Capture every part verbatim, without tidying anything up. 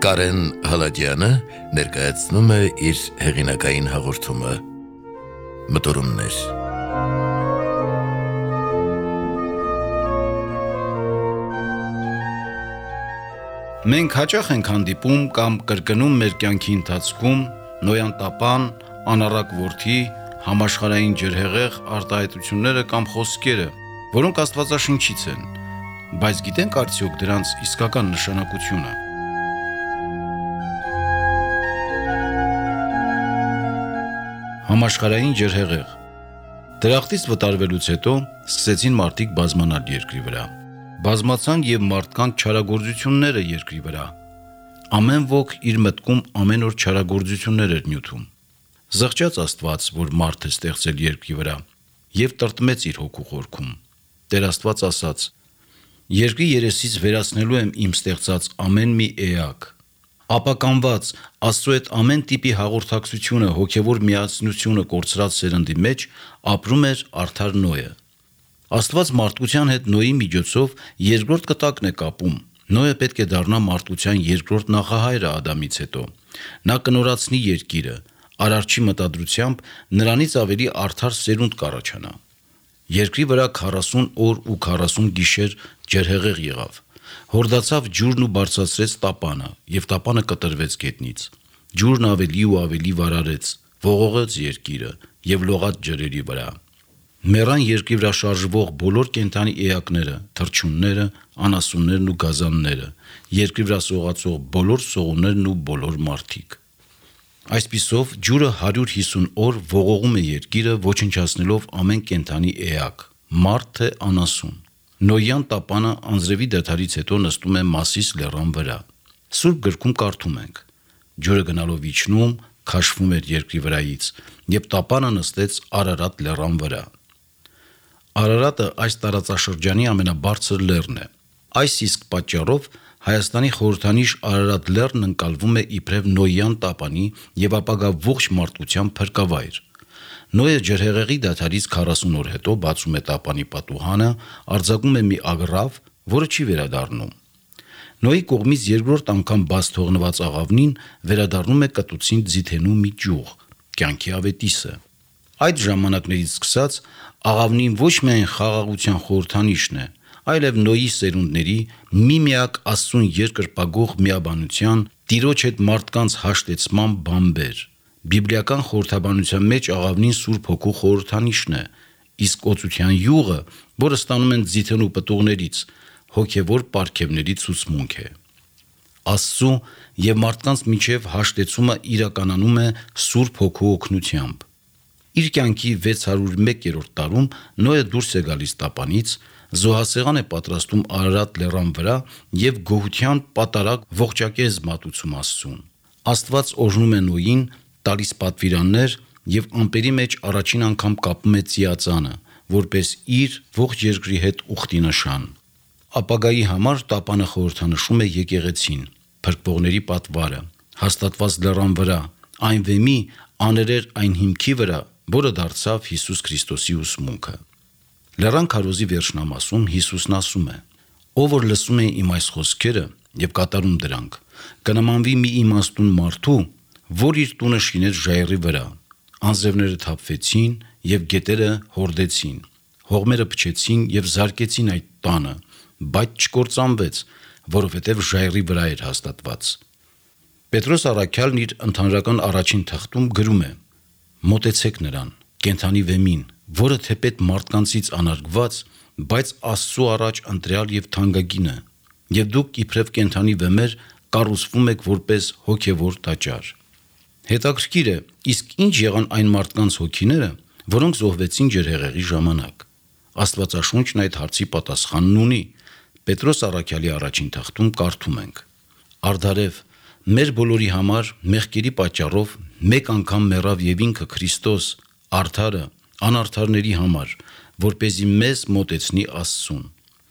Կարեն Հալադյանը ներկայացնում է իր հեղինակային հաղորդումը Մտորումներ։ Մենք հաճախ ենք հանդիպում կամ կրկնում մեր կյանքի ընթացքում նոյան տապան, անառակ որդի, համաշխարհային ջրհեղեղ արտահայտությունները կամ խոսքերը, որոնք աստվածաշնչից են, բայց գիտենք արդյոք դրանց իսկական նշանակությունը։ Համաշխարհային ջրհեղեղ։ Դրախտից վտարվելուց հետո սկսեցին մարդիկ բազմանալ երկրի վրա։ Բազմացան եւ մարդկանց չարագործությունները երկրի վրա։ Ամեն ոք իր մտքում ամեն օր չարագործություններ էր նյութում։ Զղջաց Աստված, որ մարդ է ստեղծել երկրի վրա, եւ տրտմեց իր հոգու խորքում։ Տեր Աստված ասաց. «Երկրի երեսից վերացնելու եմ իմ ստեղծած ամեն մի էակ»։ Ապականված Աստծո հետ ամեն տիպի հաղորդակցությունը, հոգևոր միասնությունը կորցրած սերնդի մեջ ապրում էր արդար Նոյը։ Աստված մարդկության հետ Նոյի միջոցով երկրորդ կտակն է կապում։ Նոյը պետք է դառնա մարդկության երկրորդ նախահայրը Ադամից հետո։ Նա կնորացնի երկիրը, Արարչի մտադրությամբ նրանից ավելի արդար սերունդ կառաջանա։ Երկրի վրա քառասուն օր ու քառասուն գիշեր ջրհեղեղ եղավ։ Հորդացավ ջուրն ու բարձրացրեց տապանը, եւ տապանը կտրվեց գետնից։ Ջուրն ավելի ու ավելի վարարեց, ողողեց երկիրը եւ լողաց ջրերի վրա։ Մեռան երկրի վրա շարժվող բոլոր կենդանի էակները, թռչունները, անասուններն ու գազանները, երկրի վրա սողացող բոլոր սողուններն ու բոլոր մարդիկ։ Այսպիսով ջուրը հարյուր հիսուն օր ողողում է երկիրը, ոչնչացնելով ամեն կենդանի էակ, մարդ թե անասուն։ Նոյան տապանը անձրևի դադարից հետո նստում է Մասիս լեռան վրա։ Սուրբ գրքում կարդում ենք. ջուրը գնալով իջնում, քաշվում էր երկրի վրայից, եւ տապանը նստեց Արարատ լեռան վրա։ Արարատը այս տարածաշրջանի ամենաբարձր լեռն է։ Այս իսկ պատճառով Հայաստանի խորհրդանիշ Արարատ լեռն ընկալվում է իբրև Նոյան տապանի եւ ապագա ողջ մարդկության փրկավայր։ Նոյը ջրհեղեղի դադարից քառասուն օր հետո բացում է տապանի պատուհանը, արձակում է մի ագռավ, որը չի վերադառնում։ Նոյի կողմից երկրորդ անգամ բաց թողնված աղավնին վերադառնում է կտուցին ձիթենու մի ճյուղ, կյանքի ավետիսը։ Այդ ժամանակներից սկսած աղավնին ոչ միայն խաղաղության խորհրդանիշն է, այլև Նոյի սերունդների միմիակ Աստծուն երկրպագող միաբանության, Տիրոջ հետ մարդկանց հաշտեցման բանբեր։ Բիբլիական խորհրդաբանության մեջ աղավնին Սուրբ Հոգու խորհրդանիշն է, իսկ օծության յուղը, որը ստանում են ձիթենու պտուղներից, հոգևոր պարգևների ցուցմունք է։ Աստծու եւ մարդկանց միջև հաշտեցումը իրականանում է Սուրբ Հոգու օգնությամբ։ Իր կյանքի վեց հարյուր մեկերորդ տարում Նոյը դուրս է գալիս տապանից, զոհասեղան է պատրաստում Արարատ լեռան վրա եւ գոհության պատարակ ողջակեզ մատուցում Աստծուն։ Աստված օրհնում է Նոյին, տալիս պատվիրաններ եւ ամպերի մեջ առաջին անգամ կապում է ծիածանը, որպես իր ողջ երկրի հետ ուխտի նշան։ Ապագայի համար տապանը խորհրդանշում է եկեղեցին, փրկվողների պատվարը, հաստատված լեռան վրա, այն վեմի աներեր այն հիմքի վրա, որը դարձավ Հիսուս Քրիստոսի ուսմունքը։ Լեռան քարոզի վերջնամասում Հիսուսն ասում է. «Ով որ լսում է իմ այս խոսքերը եւ կատարում դրանք, կնմանվի մի իմաստուն մարդու, որ իր տունը շինեց ժայռի վրա։ Անձրևները թափվեցին եւ գետերը հորդեցին, հողմերը փչեցին եւ զարկեցին այդ տանը, բայց չկործանվեց, որովհետեւ ժայռի վրա էր հաստատված»։ Պետրոս առաքյալն իր ընդհանրական առաջին թղթում գրում է. «Մոտեցեք նրան, կենդանի վեմին, որը թեպետ մարդկանցից անարգված, բայց Աստծու առաջ ընտրյալ եւ թանկագին է, եւ դուք իբրև կենդանի վեմեր կառուցվում եք որպես հոգևոր տաճար»։ Հետաքրքիր է, իսկ ինչ եղան այն մարդկանց հոգիները, որոնք զոհվեցին ջրհեղեղի ժամանակ։ Աստվածաշունչն այդ հարցի պատասխանն ունի։ Պետրոս առաքյալի առաջին թղթում կարդում ենք. «Արդարև, մեր բոլորի համար մեղքերի պատճառով մեկ անգամ մեռավ եւ ինքը Քրիստոս, արդարը, անարդարների համար, որպեսզի մեզ մոտեցնի Աստծուն։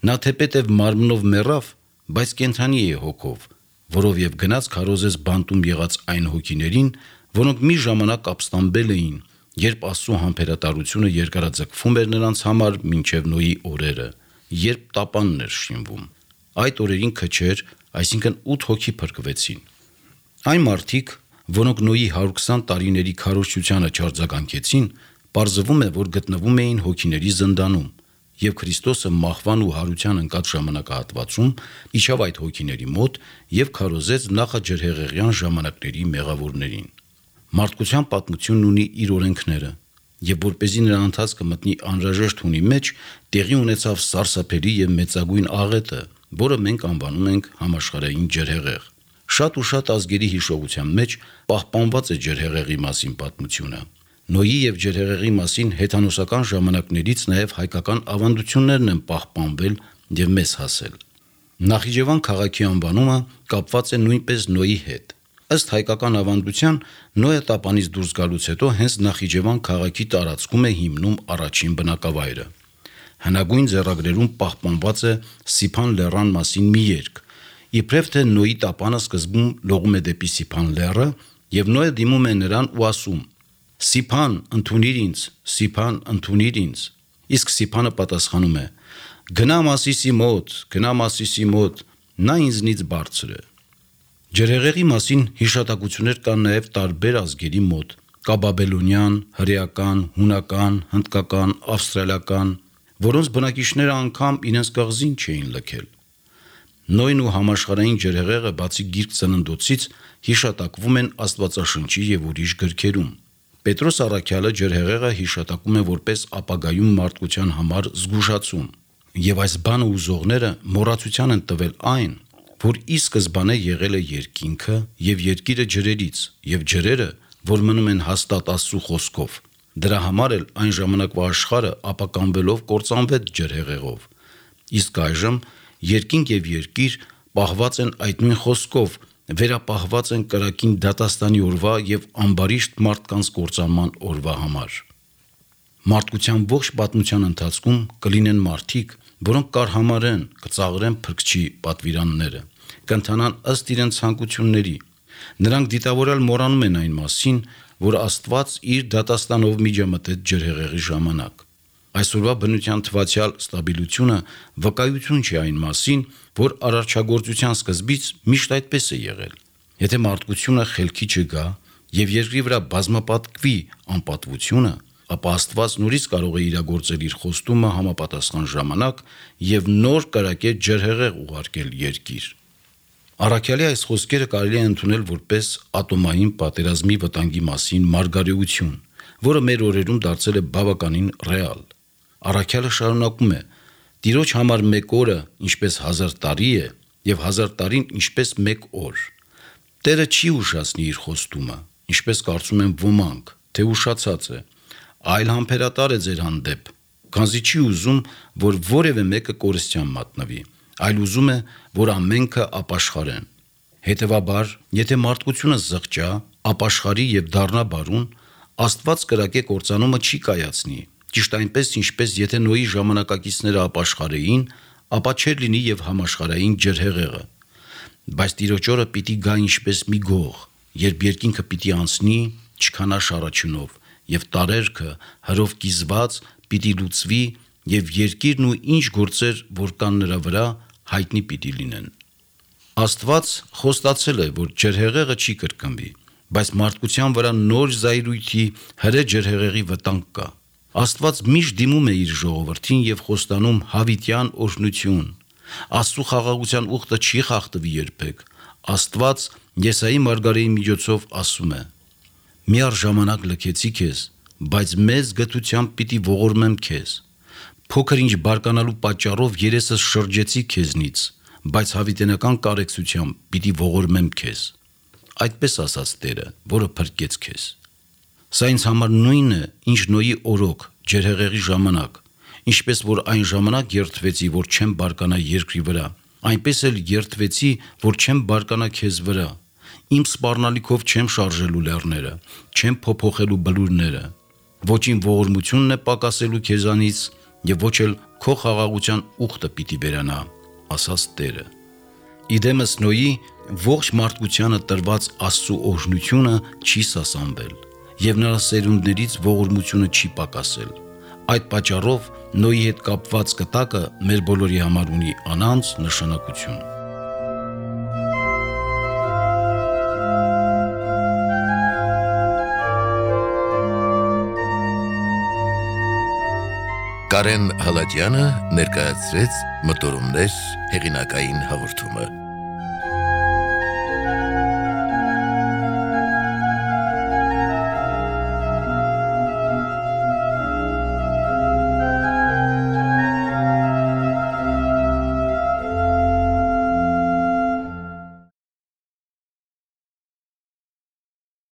Նա թեպետև մարմնով մեռավ, բայց կենդանի է հոգով, որով եւ գնաց քարոզեց բանտում եղած այն հոգիներին, որոնք մի ժամանակ ապստամբել էին, երբ Աստծո համբերատարությունը երկարաձգվում էր նրանց համար մինչև Նոյի օրերը, երբ տապանն էր շինվում։ Այդ օրերին քչեր, այսինքն ութ հոգի փրկվեցին։ Այն մարդիկ, որոնք Նոյի հարյուր քսան տարիների քարոզչությանը չարձագանքեցին, պարզվում է, որ գտնվում էին հոգիների զնդանում, եւ Քրիստոսը մահվան ու հարության ընկած ժամանակահատվածում իջավ այդ հոգիների մոտ եւ քարոզեց նախաջրհեղեղյան ժամանակների մեղավորներին։ Մարդկության պատմությունն ունի իր օրենքները, եւ որպեսզի նրա ընթացքը մտնի անհրաժեշտ հունի մեջ, տեղի ունեցավ սարսափելի եւ մեծագույն աղետը, որը մենք անվանում ենք համաշխարհային ջրհեղեղ։ Շատ ու շատ ազգերի հիշողության մեջ պահպանված է ջրհեղեղի մասին պատմությունը։ Նոյի եւ ջրհեղեղի մասին հեթանոսական ժամանակներից նաեւ հայկական ավանդություններն են պահպանվել եւ մեզ հասել։ Նախիջևան քաղաքի անվանումը կապված է նույնպես Նոյի հետ։ Ըստ հայկական ավանդության, Նոյը տապանից դուրս գալուց հետո հենց Նախիջևան քաղաքի տարածքում է հիմնում առաջին բնակավայրը։ Հնագույն ձեռագրերում պահպանված է Սիփան լեռան մասին մի երգ, իբրև թե Նոյի տապանը սկզբում լողում է դեպի Սիփան լեռը, եւ Նոյը դիմում է նրան ու ասում. «Սիփան, ընդունիր ինձ, Սիփան, ընդունիր ինձ»։ Իսկ Սիփանը պատասխանում է. «Գնամ Ասիսի մոտ, գնամ Ասիսի մոտ, նա ինձնից բարձր է»։ Ջրհեղեղի մասին հիշատակություններ կան նաև տարբեր ազգերի մոտ՝ կա բաբելոնյան, հրեական, հունական, հնդկական, ավստրալիական, որոնց բնակիչները անգամ իրենց կղզին չէին լքել։ Նոյն ու համաշխարհային ջրհեղեղը բացի Գիրք Ծննդոցից հիշատակվում են Աստվածաշնչի եւ ուրիշ գրքերում։ Պետրոս առաքյալը ջրհեղեղը հիշատակում է որպես ապագայում մարդկության համար զգուշացում, եւ այս բանը ուզողները մոռացության են տվել այն, որ ի սկզբանե եղել է երկինքը եւ երկիրը ջրերից, եւ ջրերը, որ մնում են հաստատ Աստծո խոսքով։ Դրա համար էլ այն ժամանակվա աշխարհը ապականվելով կործանվեց ջրհեղեղով։ Իսկ այժմ երկինք եւ երկիր պահված են այդ նույն խոսքով, վերապահված են կրակին դատաստանի օրվա եւ ամբարիշտ մարդկանց կործանման օրվա համար։ Մարդկության ողջ պատմության ընթացքում կլինեն մարդիկ, որոնք կարհամարեն, կծաղրեն փրկչի պատվիրանները, կընթանան ըստ իրենց ցանկությունների։ Նրանք դիտավորել մոռանում են այն մասին, որ Աստված իր դատաստանով միջամտեց ջրհեղեղի ժամանակ։ Այսօրվա բնության թվացial ստաբիլությունը վկայություն չի այն մասին, որ արարչագործության սկզբից միշտ այդպես է եղել։ Եթե մարդկությունը խելքի չգա եւ երկրի վրա բազմապատկվի անպատվությունը, ապա Աստված նորից կարող է իրագործել իր խոստումը համապատասխան ժամանակ եւ նոր կրակե ջրհեղեղ ուղարկել երկիր։ Առաքյալի այս խոսքերը կարելի է ընդունել որպես ատոմային պատերազմի վտանգի մասին մարգարեություն, որը մեր օրերում դարձել է բավականին ռեալ։ Առաքյալը շարունակում է. «Տիրոջ համար մեկ օրը ինչպես հազար տարի է, եւ հազար տարին ինչպես մեկ օր»։ Տերը չի ուշացնի իր խոստումը, ինչպես կարծում են ոմանք, թե ուշացած է, այլ համբերատար է ձեր հանդեպ, քանզի չի ուզում, որ որևէ մեկը կորստյան մատնվի, այլ ուզում է, որ ամենքը ապաշխարեն։ Հետևաբար, եթե մարդկությունը զղջա, ապաշխարի եւ դառնա բարուն, Աստված կրակե կործանումը չի կայացնի, ճիշտ այնպես, ինչպես եթե Նոյի ժամանակակիցները ապաշխարեին, ապա չէր լինի եւ համաշխարհային ջրհեղեղը։ Բայց Տիրոջ օրը պիտի գա ինչպես մի գող, երբ երկինքը պիտի անցնի չքանա շարաչյունով, եւ տարերքը հրով կիզված պիտի լուծվի, եւ երկիրն ու ինչ գործեր, որ կան նրա վրա, հայտնի պիտի լինեն։ Աստված խոստացել է, որ ջրհեղեղը չի կրկնվի, բայց մարդկության վրա նոր զայրույթի հրե ջրհեղեղի վտանգ կա։ Աստված միշտ դիմում է իր ժողովրդին եւ խոստանում հավիտյան օրհնություն։ Աստծո խաղաղության ուխտը չի խախտվի երբեք։ Աստված Եսայի մարգարեի միջոցով ասում է. «Մի առժամանակ լքեցի քեզ, բայց մեծ գթությամբ պիտի ողորմեմ քեզ։ Փոքր ինչ բարկանալու պատճառով երեսս շրջեցի քեզնից, բայց հավիտենական կարեկցությամբ պիտի ողորմեմ քեզ»։ Այդպես ասաց Տերը, որը փրկեց քեզ։ Սա ինձ համար նույնն է, ինչ Նոյի օրոք, ջրհեղեղի ժամանակ, ինչպես որ այն ժամանակ երդվեցի, որ չեմ բարկանա երկրի վրա, այնպես էլ երդվեցի, որ չեմ բարկանա քեզ վրա։ Իմ սպառնալիքով չեմ շարժելու լեռները, չեմ փոփոխելու բլուրները։ Ոչին ողորմությունն է պակասելու քեզանից, եւ ոչ էլ քո խաղաղության ուխտը պիտի վերանա, ասաց Տերը։ Իդեմս Նոյի ողջ մարդկությանը տրված Աստծո օրհնությունը չի սասանվել, եւ նրա սերունդներից ողորմությունը չի պակասել։ Այդ պատճառով Նոյի հետ կապված կտակը մեր բոլորի համար ունի անանց նշանակություն։ Կարեն Հալաջյանը ներկայացրեց Մտորումներ հեղինակային հաղորդումը։